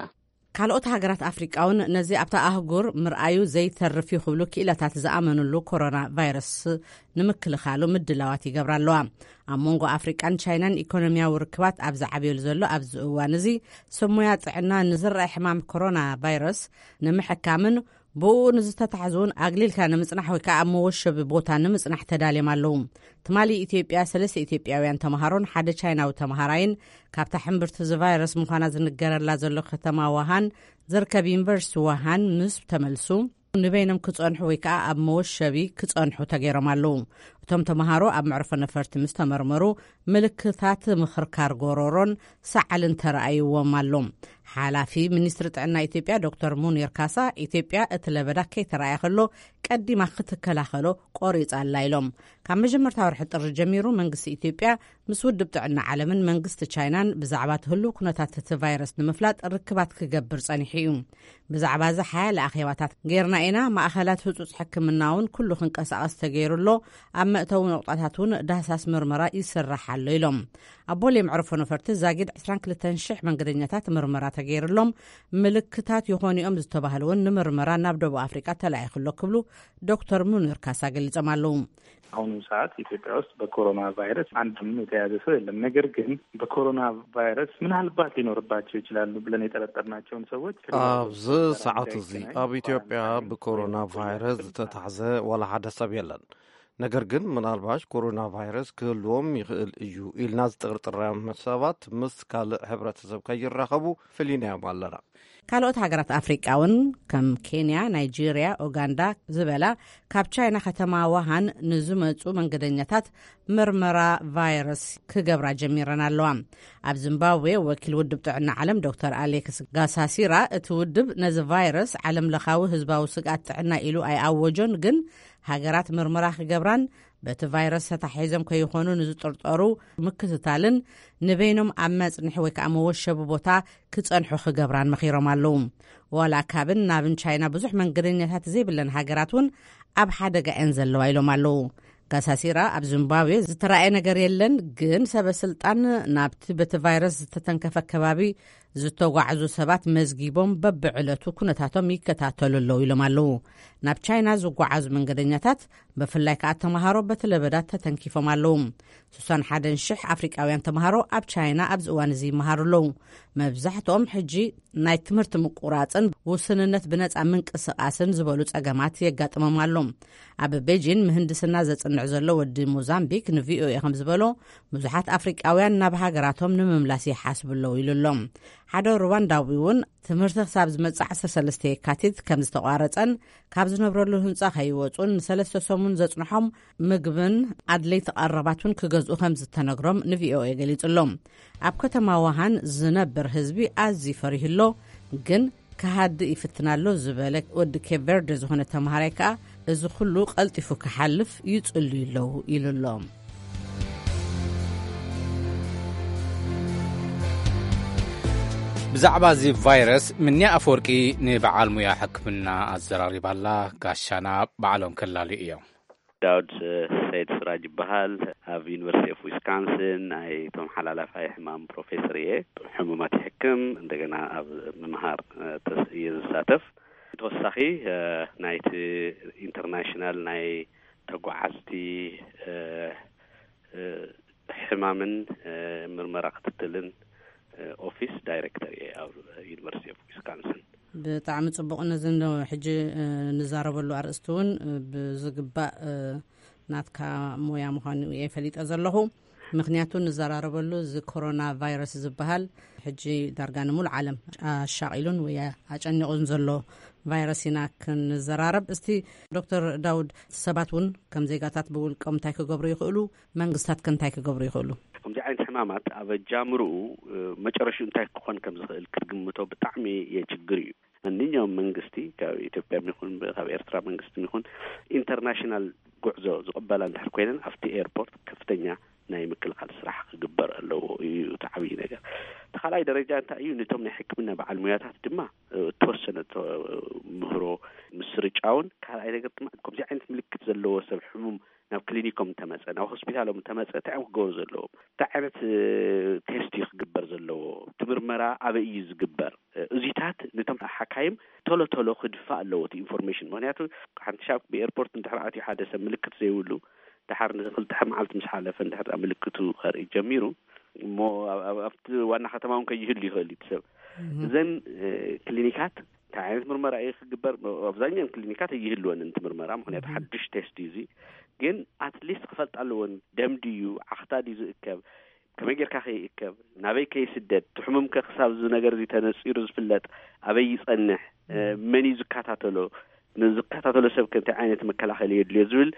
ካልኦት ሃገራት ኣፍሪቃ እውን ነዚ ኣብታ ኣህጉር ምርኣዩ ዘይተርፍ እዩ ክብሉ ክኢላታት ዝኣመንሉ ኮሮና ቫይረስ ንምክልኻሉ ምድላዋት ይገብራ ኣለዋ። ኣብ መንጎ ኣፍሪቃን ቻይናን ኢኮኖሚያዊ ርክባት ኣብ ዝዓብየሉ ዘሎ ኣብዚ እዋን እዚ፣ ሰብ ሞያ ጥዕና ንዝረአ ሕማም ኮሮና ቫይረስ ንምሕካምን ብኡ ንዝተታሕዙ እውን ኣግሊልካ ንምጽናሕ ወይ ከዓ ኣብ መወሸቢ ቦታ ንምጽናሕ ተዳልዮም ኣለዉ። ትማሊ ኢትዮጵያ ሰለስተ ኢትዮጵያውያን ተምሃሮን ሓደ ቻይናዊ ተምሃራይን ካብታ ሕምብርቲ እዚ ቫይረስ ምዃና ዝንገረላ ዘሎ ከተማ ዋሃን ዝርከብ ዩኒቨርሲቲ ዋሃን ምስ ተመልሱ፣ ንበይኖም ክጸንሑ ወይ ከዓ ኣብ መወሸቢ ክጸንሑ ተገይሮም ኣለዉ። እቶም ተምሃሮ ኣብ መዕርፎ ነፈርቲ ምስ ተመርመሩ፣ ምልክታት ምኽርካር ጎሮሮን ሰዓልን ተራእይዎም ኣሎ። ሓላፊ ሚኒስትሪ ጥዕና ኢትዮጵያ ዶክተር ሙኒር ካሳ፣ ኢትዮጵያ እቲ ለበዳ ከይተራእየ ከሎ ቀዲማ ክትከላኸሎ ቆሪጻ ኣላ ኢሎም። ካብ መጀመርታ ወርሒ ጥሪ ጀሚሩ መንግስቲ ኢትዮጵያ ምስ ውድብ ጥዕና ዓለምን መንግስቲ ቻይናን ብዛዕባ እቲ ህሉው ኩነታት እቲ ቫይረስ ንምፍላጥ ርክባት ክገብር ጸኒሑ እዩ። ብዛዕባ እዚ ሓያለ ኣኼባታት ጌርና ኢና። ማእኸላት ህጹጽ ሕክምና እውን ኩሉ ክንቀሳቐስ ተገይሩ ኣሎ። ኣብ መእተዊ ነቑጣታት እውን ዳህሳስ ምርመራ ይስራሕ ኣሎ ኢሎም። ኣብ ቦሌ መዕርፎ ነፈርቲ ዛጊድ ዕስራን ክልተን ሽሕ መንገደኛታት ምርመራ ተገይርሎም፣ ምልክታት ይኾኑ እዮም ዝተባህሉ እውን ንምርመራ ናብ ደቡብ ኣፍሪቃ ተላኢኹ ኣሎ ክብሉ ዶክተር ሙኒር ካሳ ገሊጾም ኣለዉ። አሁኑ ሰዓት ኢትዮጵያ ውስጥ በኮሮና ቫይረስ አንድም የተያዘ ሰው የለም። ነገር ግን በኮሮና ቫይረስ ምናልባት ሊኖርባቸው ይችላሉ ብለን የጠረጠርናቸውን ሰዎች ኣብዚ ሰዓት እዚ ኣብ ኢትዮጵያ ብኮሮና ቫይረስ ዝተታሕዘ ዋላ ሓደ ሰብ የለን። ነገር ግን ምናልባሽ ኮሮና ቫይረስ ክህልዎም ይኽእል እዩ ኢልና ዝጥርጥራም ሰባት ምስ ካልእ ሕብረተሰብ ከይራኸቡ ፍሊናዮም ኣለና። ካልኦት ሃገራት ኣፍሪቃ እውን ከም ኬንያ፣ ናይጄርያ፣ ኡጋንዳ ዝበላ ካብ ቻይና ከተማ ዋሃን ንዝመጹ መንገደኛታት ምርመራ ቫይረስ ክገብራ ጀሚረን ኣለዋ። ኣብ ዚምባብዌ ወኪል ውድብ ጥዕና ዓለም ዶክተር ኣሌክስ ጋሳሲራ፣ እቲ ውድብ ነዚ ቫይረስ ዓለም ለኻዊ ህዝባዊ ስግኣት ጥዕና ኢሉ ኣይኣወጆን፣ ግን ሃገራት ምርመራ ክገብራን በቲ ቫይረስ ተታሒዞም ከይኾኑ ንዝጥርጠሩ ምክትታልን ንበይኖም ኣብ መጽንሒ ወይ ከዓ መወሸቢ ቦታ ክጸንሑ ክገብራን መኺሮም ኣለዉ። ዋላ ካብን ናብን ቻይና ብዙሕ መንገደኛታት ዘይብለን ሃገራት እውን ኣብ ሓደጋ እየን ዘለዋ ኢሎም ኣለዉ። ጋሳሲራ፣ ኣብ ዚምባብዌ ዝተራእየ ነገር የለን፣ ግን ሰበ ስልጣን ናብቲ በቲ ቫይረስ ዝተተንከፈ ከባቢ ዝተጓዕዙ ሰባት መዝጊቦም በብዕለቱ ኩነታቶም ይከታተሉ ኣለዉ ኢሎም ኣለዉ። ናብ ቻይና ዝጓዓዙ መንገደኛታት ብፍላይ ከኣ ተምሃሮ በቲ ለበዳ ተተንኪፎም ኣለዉ። ስሳን ሓደን ሽሕ ኣፍሪቃውያን ተምሃሮ ኣብ ቻይና ኣብዚ እዋን እዚ ይመሃሩ ኣለዉ። መብዛሕትኦም ሕጂ ናይ ትምህርቲ ምቁራጽን ውስንነት ብነጻ ምንቅስቃስን ዝበሉ ጸገማት የጋጥሞም ኣሎ። ኣብ ቤጂን ምህንድስና ዘጽንዕ ዘሎ ወዲ ሞዛምቢክ ንቪኦኤ ከም ዝበሎ፣ ብዙሓት ኣፍሪቃውያን ናብ ሃገራቶም ንምምላስ ይሓስቡ ኣለዉ ኢሉ ኣሎ። ሓደ ሩዋንዳዊ እውን ትምህርቲ ክሳብ ዝመጽእ ዓሰርተ ሰለስተ የካቲት ከም ዝተቋረጸን ካብ ዝነብረሉ ህንጻ ከይወጹን ንሰለስተ ሰሙን ዘጽንሖም ምግብን ኣድለይቲ ቀረባትን ክገዝኡ ከም ዝተነግሮም ንቪኦኤ ገሊጹ ኣሎ። ኣብ ከተማ ዋሃን ዝነብር ህዝቢ ኣዝዩ ፈሪሁ ኣሎ፣ ግን ክሃድእ ይፍትን ኣሎ ዝበለ ወዲ ኬፕ ቨርደ ዝኾነ ተምሃራይ ከኣ፣ እዚ ኩሉ ቀልጢፉ ክሓልፍ ይጽልዩ ኣለዉ ኢሉ ኣሎ። ብዛዕባ እዚ ቫይረስ ምንያ ኣፈወርቂ ንበዓል ሙያ ሕክምና ኣዘራሪባላ። ጋሻና ባዕሎም ከላልዩ እዮም። ዳውድ ሰይድ ስራጅ ይበሃል። ኣብ ዩኒቨርሲቲ ኦፍ ዊስካንስን ናይ እቶም ሓላላፋይ ሕማም ፕሮፌሰር እየ። ሕሙማት ይሕክም፣ እንደገና ኣብ ምምሃር እየ ዝሳተፍ። ተወሳኺ ናይቲ ኢንተርናሽናል ናይ ተጓዓዝቲ ሕማምን ምርመራ ክትትልን ኦፊስ ዳይሬክተር እየ ኣብ ዩኒቨርሲቲ ኦፍ ዊስካንስን። ብጣዕሚ ጽቡቕ። ነዚ እንዶ ሕጂ፣ እ፣ ንዛረበሉ ኣርእስቲ እውን፣ እ፣ ብዝግባእ፣ እ፣ ናትካ ሞያ ምዃኑ እየ ፈሊጠ ዘለኹ። ምኽንያቱ ንዘራረበሉ እዚ ኮሮና ቫይረስ ዝበሃል ሕጂ ዳርጋ ንምሉእ ዓለም ኣሻቒሉን ወይ ኣጨኒቑን ዘሎ ቫይረስ ኢና ክንዘራረብ። እስቲ ዶክተር ዳውድ፣ ሰባት እውን ከም ዜጋታት ብውልቆም እንታይ ክገብሩ ይኽእሉ? መንግስታት ከ እንታይ ክገብሩ ይኽእሉ? ከምዚ ዓይነት ሕማማት ኣብ ኣጃምርኡ፣ እ፣ መጨረሽኡ እንታይ ክኾን ከም ዝኽእል ክትግምቶ ብጣዕሚ የችግር እዩ። ማንኛውም መንግስቲ፣ ካብ ኢትዮጵያ ይኹን ካብ ኤርትራ መንግስቲ ይኹን፣ ኢንተርናሽናል ጉዕዞ ዝቕበላ እንድሕር ኮይነን፣ ኣብቲ ኤርፖርት ከፍተኛ ናይ ምክልኻል ስራሕ ክግበር ኣለዎ እዩ እቲ ዓብዪ ነገር። እቲ ካልኣይ ደረጃ እንታይ እዩ? ነቶም ናይ ሕክምና በዓል ሙያታት ድማ፣ እ፣ እተወሰነ ተ-፣ ምህሮ ምስርጫውን፣ ካልኣይ ነገር ድማ ከምዚ ዓይነት ምልክት ዘለዎ ሰብ ሕሙም ናብ ክሊኒኮም እንተመጸ፣ ናብ ሆስፒታሎም እንተመጸ፣ እንታይ እዮም ክገብሩ ዘለዎም? እንታይ ዓይነት፣ እ፣ ቴስት እዩ ክግበር ዘለዎ? እቲ ምርመራ ኣበይ እዩ ዝግበር? እ፣ እዚታት ነቶም ሓካይም ቶሎ ቶሎ ክድፋእ ኣለዎ እቲ ኢንፎርሜሽን። ምኽንያቱ ሓንቲ ሻብ ብኤርፖርት እንድሕር ኣትዩ ሓደ ሰብ ምልክት ዘይብሉ፣ ድሓር ንክልተ መዓልቲ ምስ ሓለፈ እንድሕር ምልክቱ ከርኢ ጀሚሩ፣ እሞ ኣብ-፣ ኣብ-፣ ኣብቲ ዋና ከተማ እውን ከይህሉ ይኽእል እዩ እቲ ሰብ። እዘን፣ እ፣ ክሊኒካት እንታይ ዓይነት ምርመራ እዩ ክግበር? ኣብዛኛን ክሊኒካት ኣይህልወን እቲ ምርመራ፣ ምኽንያቱ ሓድሽ ቴስት እዩ እዚ። ግን ኣትሊስት ክፈልጣ ኣለወን፣ ደም ድዩ፣ ዓኽታ ድዩ ዝእከብ፣ ከመይ ጌርካ ከይእከብ፣ ናበይ ከይስደድ፣ እቲ ሕሙም ከ ክሳብ እዚ ነገር እዚ ተነጺሩ ዝፍለጥ ኣበይ ይጸንሕ፣ እ፣ መን እዩ ዝከታተሎ፣ ንዝከታተሎ ሰብ ከ እንታይ ዓይነት መከላኸሊ የድልዮ ዝብል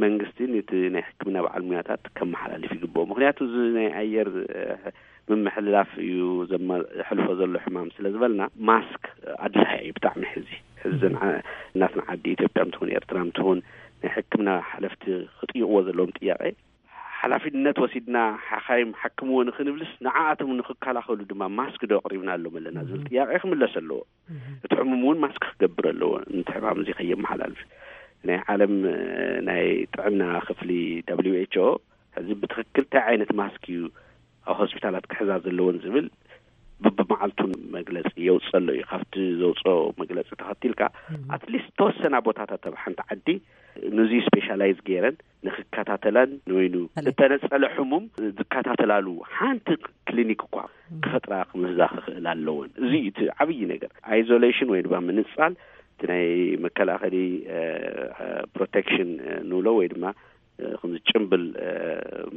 መንግስቲ ነቲ ናይ ሕክምና በዓል ሙያታት ከመሓላልፍ ይግብኦ። ምኽንያቱ እዚ ናይ ኣየር፣ እ፣ ምምሕልላፍ እዩ ዘማ-፣ ዘሕልፎ ዘሎ ሕማም ስለ ዝበልና፣ ማስክ ኣድላይ እዩ ብጣዕሚ። ሕዚ፣ ሕዚ ዓ-፣ እናትና ዓዲ ኢትዮጵያ ምትኹን ኤርትራ ምትኹን ናይ ሕክምና ሓለፍቲ ክጥይቕዎ ዘለዎም ጥያቄ፣ ሓላፊነት ወሲድና ሓኻይም ሓክምዎ ንኽንብልስ፣ ንዓኣቶም ንኽከላኸሉ ድማ ማስክ ዶ ኣቕሪብና ኣሎም ኣለና ዝብል ጥያቄ ክምለስ ኣለዎ። እቲ ሕሙም እውን ማስክ ክገብር ኣለዎ፣ ነቲ ሕማም እዚ ከየመሓላልፍ። ናይ ዓለም፣ እ፣ ናይ ጥዕና ክፍሊ፣ ደብሊው ኤች ኦ፣ ሕዚ ብትኽክል እንታይ ዓይነት ማስክ እዩ ኣብ ሆስፒታላት ክሕዛ ዘለወን ዝብል ብብመዓልቱን መግለጺ የውጽእ ኣሎ እዩ። ካብቲ ዘውጽኦ መግለጺ ተኸቲልካ፣ ኣትሊስት ተወሰና ቦታታት ኣብ ሓንቲ ዓዲ ነዚ ስፔሻላይዝ ገይረን ንክከታተላን፣ ንወይኑ እተነጸለ ሕሙም ዝከታተላሉ ሓንቲ ክሊኒክ እኳ ክፈጥራ ክምህዛ ክኽእል ኣለወን። እዚ እዩ እቲ ዓብዪ ነገር። ኣይዞሌሽን ወይ ድማ ምንጻል፣ እቲ ናይ መከላኸሊ፣ እ፣ እ፣ ፕሮቴክሽን፣ እ፣ ንብሎ ወይ ድማ፣ እ፣ ከምዚ ጭምብል፣ እ፣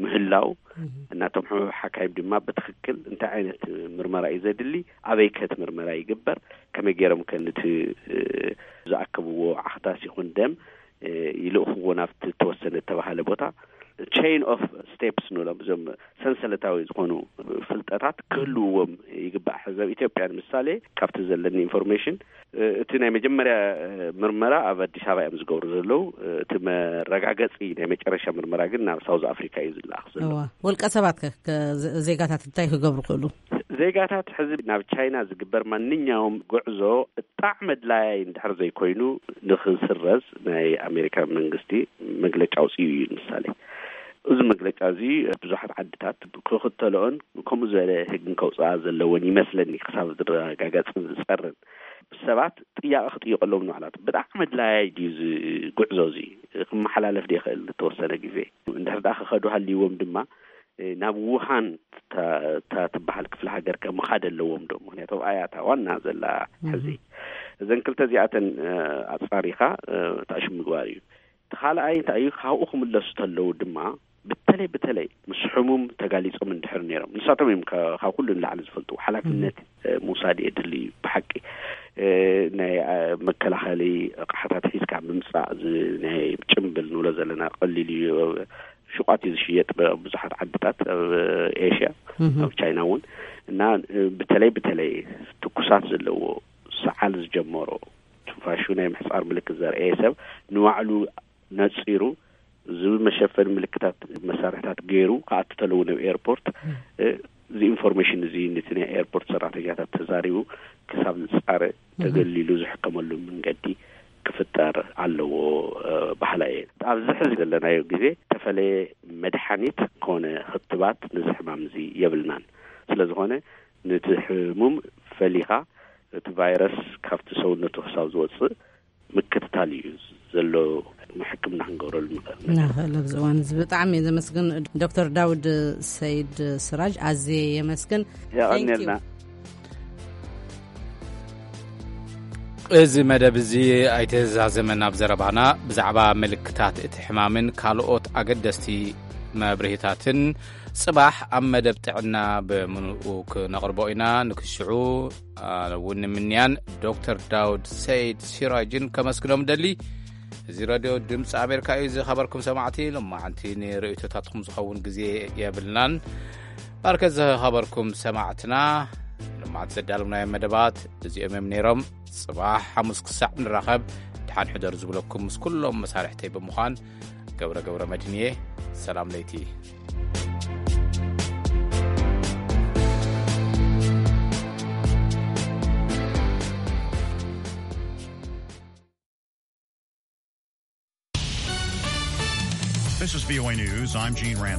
ምህላው፣ እናቶም ሕሙም ሓካይም ድማ ብትኽክል እንታይ ዓይነት ምርመራ እዩ ዘድሊ፣ ኣበይ ከ እቲ ምርመራ ይግበር፣ ከመይ ገይሮም ከ ነቲ፣ እ፣ ዝኣከብዎ ዓኽታስ ይኹን ደም፣ እ፣ ይልእኽዎ ናብቲ ተወሰነ እተባሃለ ቦታ። ቼን ኦፍ ስቴፕስ ንብሎም፣ እዞም ሰንሰለታዊ ዝኾኑ ፍልጠታት ክህልውዎም ይግባእ። ሕዚ ኣብ ኢትዮጵያ ንምሳሌ፣ ካብቲ ዘለኒ ኢንፎርሜሽን፣ እ፣ እቲ ናይ መጀመርያ፣ እ፣ ምርመራ ኣብ ኣዲስ ኣበባ እዮም ዝገብሩ ዘለዉ። እ፣ እቲ መረጋገጺ ናይ መጨረሻ ምርመራ ግን ናብ ሳውዝ ኣፍሪካ እዩ ዝለኣኽ ዘሎ። እዋ፣ ውልቀ ሰባት ከ፣ ከ-፣ ዜ-፣ ዜጋታት እንታይ ክገብሩ ክእሉ? ዜጋታት ሕዚ ናብ ቻይና ዝግበር ማንኛውም ጉዕዞ ብጣዕሚ ኣድላያይ እንድሕር ዘይኮይኑ ንክስረዝ ናይ ኣሜሪካ መንግስቲ መግለጫ ኣውፅኡ እዩ። ንምሳሌ፣ እዚ መግለጫ እዚ ብዙሓት ዓድታት ክኽተልኦን ከምኡ ዝበለ ህግን ከውፅኣ ዘለወን ይመስለኒ፣ ክሳብ ዝረጋገፅን ዝፀርን። ሰባት ጥያቄ ክጥይቀሎም ንባዕላት፣ ብጣዕሚ ኣድላያይ ድዩ እዚ ጉዕዞ እዚ ክመሓላለፍ ዶ ይኽእል ንተወሰነ ግዜ? እንድሕር ደኣ ክኸዱ ሃልይዎም ድማ፣ እ፣ ናብ ውሃን እታ፣ እታ ትበሃል ክፍለ ሃገር ከ ምኻድ ኣለዎም ዶ? ምኽንያቱ ኣብኣ እያ እታ ዋና ዘላ ሕዚ። እዘን ክልተ እዚኣተን፣ እ፣ ኣጻሪኻ፣ እ፣ ታሽም ምግባር እዩ። እቲ ካልኣይ እንታይ እዩ? ካብኡ ክምለሱ ተለዉ ድማ፣ በተለይ፣ በተለይ ምስ ሕሙም ተጋሊጾም እንድሕር ነይሮም፣ ንሳቶም እዮም ከ-፣ ካብ ኩሉ ንላዕሊ ዝፈልጡ። ሓላፍነት፣ እ፣ ምውሳድ የድሊ እዩ ብሓቂ። እ፣ ናይ፣ እ፣ መከላኸሊ ኣቕሓታት ሒዝካ ምምጻእ፣ እዚ ናይ ጭምብል ንብሎ ዘለና ቀሊል እዩ። ሹቋት እዩ ዝሽየጥ ብ-፣ ብዙሓት ዓድታት ኣብ ኤሽያ፣ ኣብ ቻይና እውን። እና፣ እ፣ በተለይ፣ በተለይ ትኩሳት ዘለዎ፣ ሰዓል ዝጀመሮ፣ ትንፋሹ ናይ ምሕጻር ምልክት ዘርእየ ሰብ ንባዕሉ ነጺሩ፣ እዚ መሸፈኒ ምልክታት መሳርሕታት ገይሩ ክኣቱ ተለዉ ናብ ኤርፖርት፣ እ፣ እዚ ኢንፎርሜሽን እዚ ነቲ ናይ ኤርፖርት ሰራሕተኛታት ተዛሪቡ ክሳብ ዝጻረ ተገሊሉ ዝሕከመሉ መንገዲ ክፍጠር ኣለዎ፣ እ፣ በሃላይ እየ። ኣብዚ ሕዚ ዘለናዮ ግዜ ተፈለየ መድሓኒት ኮነ ክትባት ነዚ ሕማም እዚ የብልናን። ስለ ዝኾነ ነቲ ሕሙም ፈሊኻ እቲ ቫይረስ ካብቲ ሰውነቱ ክሳብ ዝወጽእ ምክትታል እዩ ዘሎ፣ ሕክምና ክንገብረሉ ንኽእል። ንኽእል ኣብዚ እዋን እዚ። ብጣዕሚ እየ ዘመስግን ዶክተር ዳውድ ሰይድ ስራጅ፣ ኣዝየ የመስግን። የቐንየልና። Thank you። እዚ መደብ እዚ ኣይተዛዘመን። ኣብ ዘረባና ብዛዕባ ምልክታት እቲ ሕማምን ካልኦት ኣገደስቲ መብርሂታትን ጽባሕ ኣብ መደብ ጥዕና ብምንኡ ክነቕርቦ ኢና። ንክሽዑ እውን ንምንያን ዶክተር ዳውድ ሰይድ ሲራጅን ከመስግኖም ደሊ። እዚ ሬድዮ ድምፂ ኣሜሪካ እዩ። ዝኸበርኩም ሰማዕቲ፣ ሎማዓንቲ ንርእይቶታትኩም ዝኸውን ግዜ የብልናን። ባርከት ዝኸበርኩም ሰማዕትና፣ ሎማዓንቲ ዘዳለምናዮም መደባት እዚኦም እዮም ነይሮም። ጽባሕ ሓሙስ ክሳዕ ንራኸብ፣ ድሓን ሕደሩ ዝብለኩም ምስ ኩሎም መሳርሕተይ ብምዃን ገብረ ገብረ መድህን እየ። ሰላም ለይቲ። This is V O A News. I'm Gene Randall.